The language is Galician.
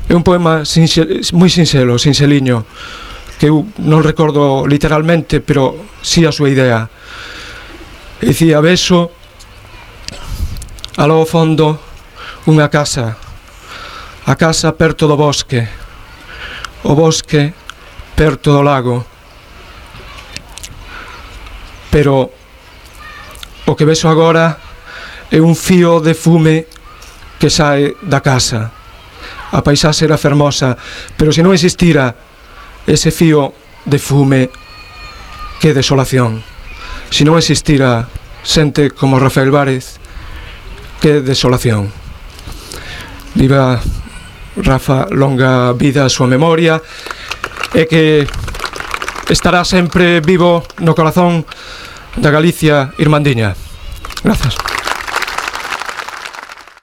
É un poema moi sinxelo, sinxeliño, que eu non recordo literalmente, pero si a súa idea. Dicía: vexo aló ao fondo unha casa, a casa perto do bosque, o bosque perto do lago, pero o que vexo agora é un fío de fume que sae da casa. A paisaxe era fermosa, pero se non existira ese fío de fume, que desolación. Se non existira xente como Rafael Várez, que desolación. Viva Rafa, longa vida a súa memoria, e que estará sempre vivo no corazón da Galicia irmandiña. Grazas.